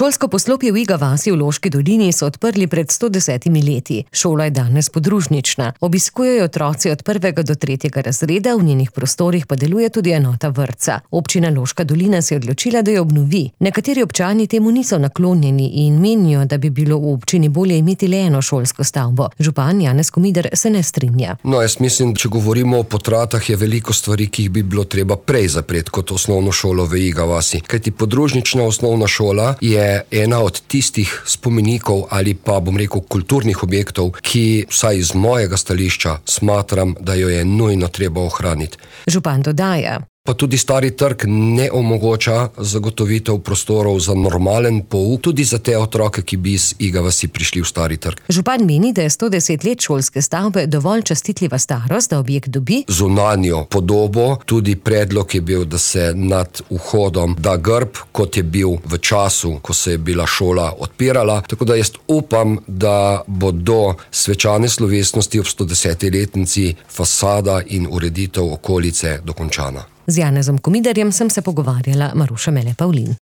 Šolsko poslopje v Iga vasi v Loški dolini so odprli pred 110 leti. Šola je danes podružnična. Obiskujejo otroci od 1. do 3. razreda, v njenih prostorih pa deluje tudi enota vrtca. Občina Loška dolina se je odločila, da jo obnovi. Nekateri občani temu niso naklonjeni in menijo, da bi bilo v občini bolje imeti le eno šolsko stavbo. Župan Janez Komider se ne strinja. No, jaz mislim, če govorimo o Potratah, je veliko stvari, ki jih bi bilo treba prej zapreti kot osnovno šolo v Iga vasi. Kajti podružnična osnovna šola je ena od tistih spomenikov ali pa, bom rekel, kulturnih objektov, ki vsaj iz mojega stališča smatram, da jo je nujno treba ohraniti. Župan dodaja: Pa tudi Stari trg ne omogoča zagotovitev prostorov za normalen pouk, tudi za te otroke, ki bi iz Iga vasi prišli v Stari trg. Župan meni, da je 110 let šolske stavbe dovolj častitljiva starost, da objekt dobi zunanjo podobo. Tudi predlog je bil, da se nad vhodom da grb, kot je bil v času, ko se je bila šola odpirala. Tako da jaz upam, da bo do svečane slovesnosti ob 110. letnici fasada in ureditev okolice dokončana. Z Janezom Komiderjem sem se pogovarjala Maruša Mele Pavlin.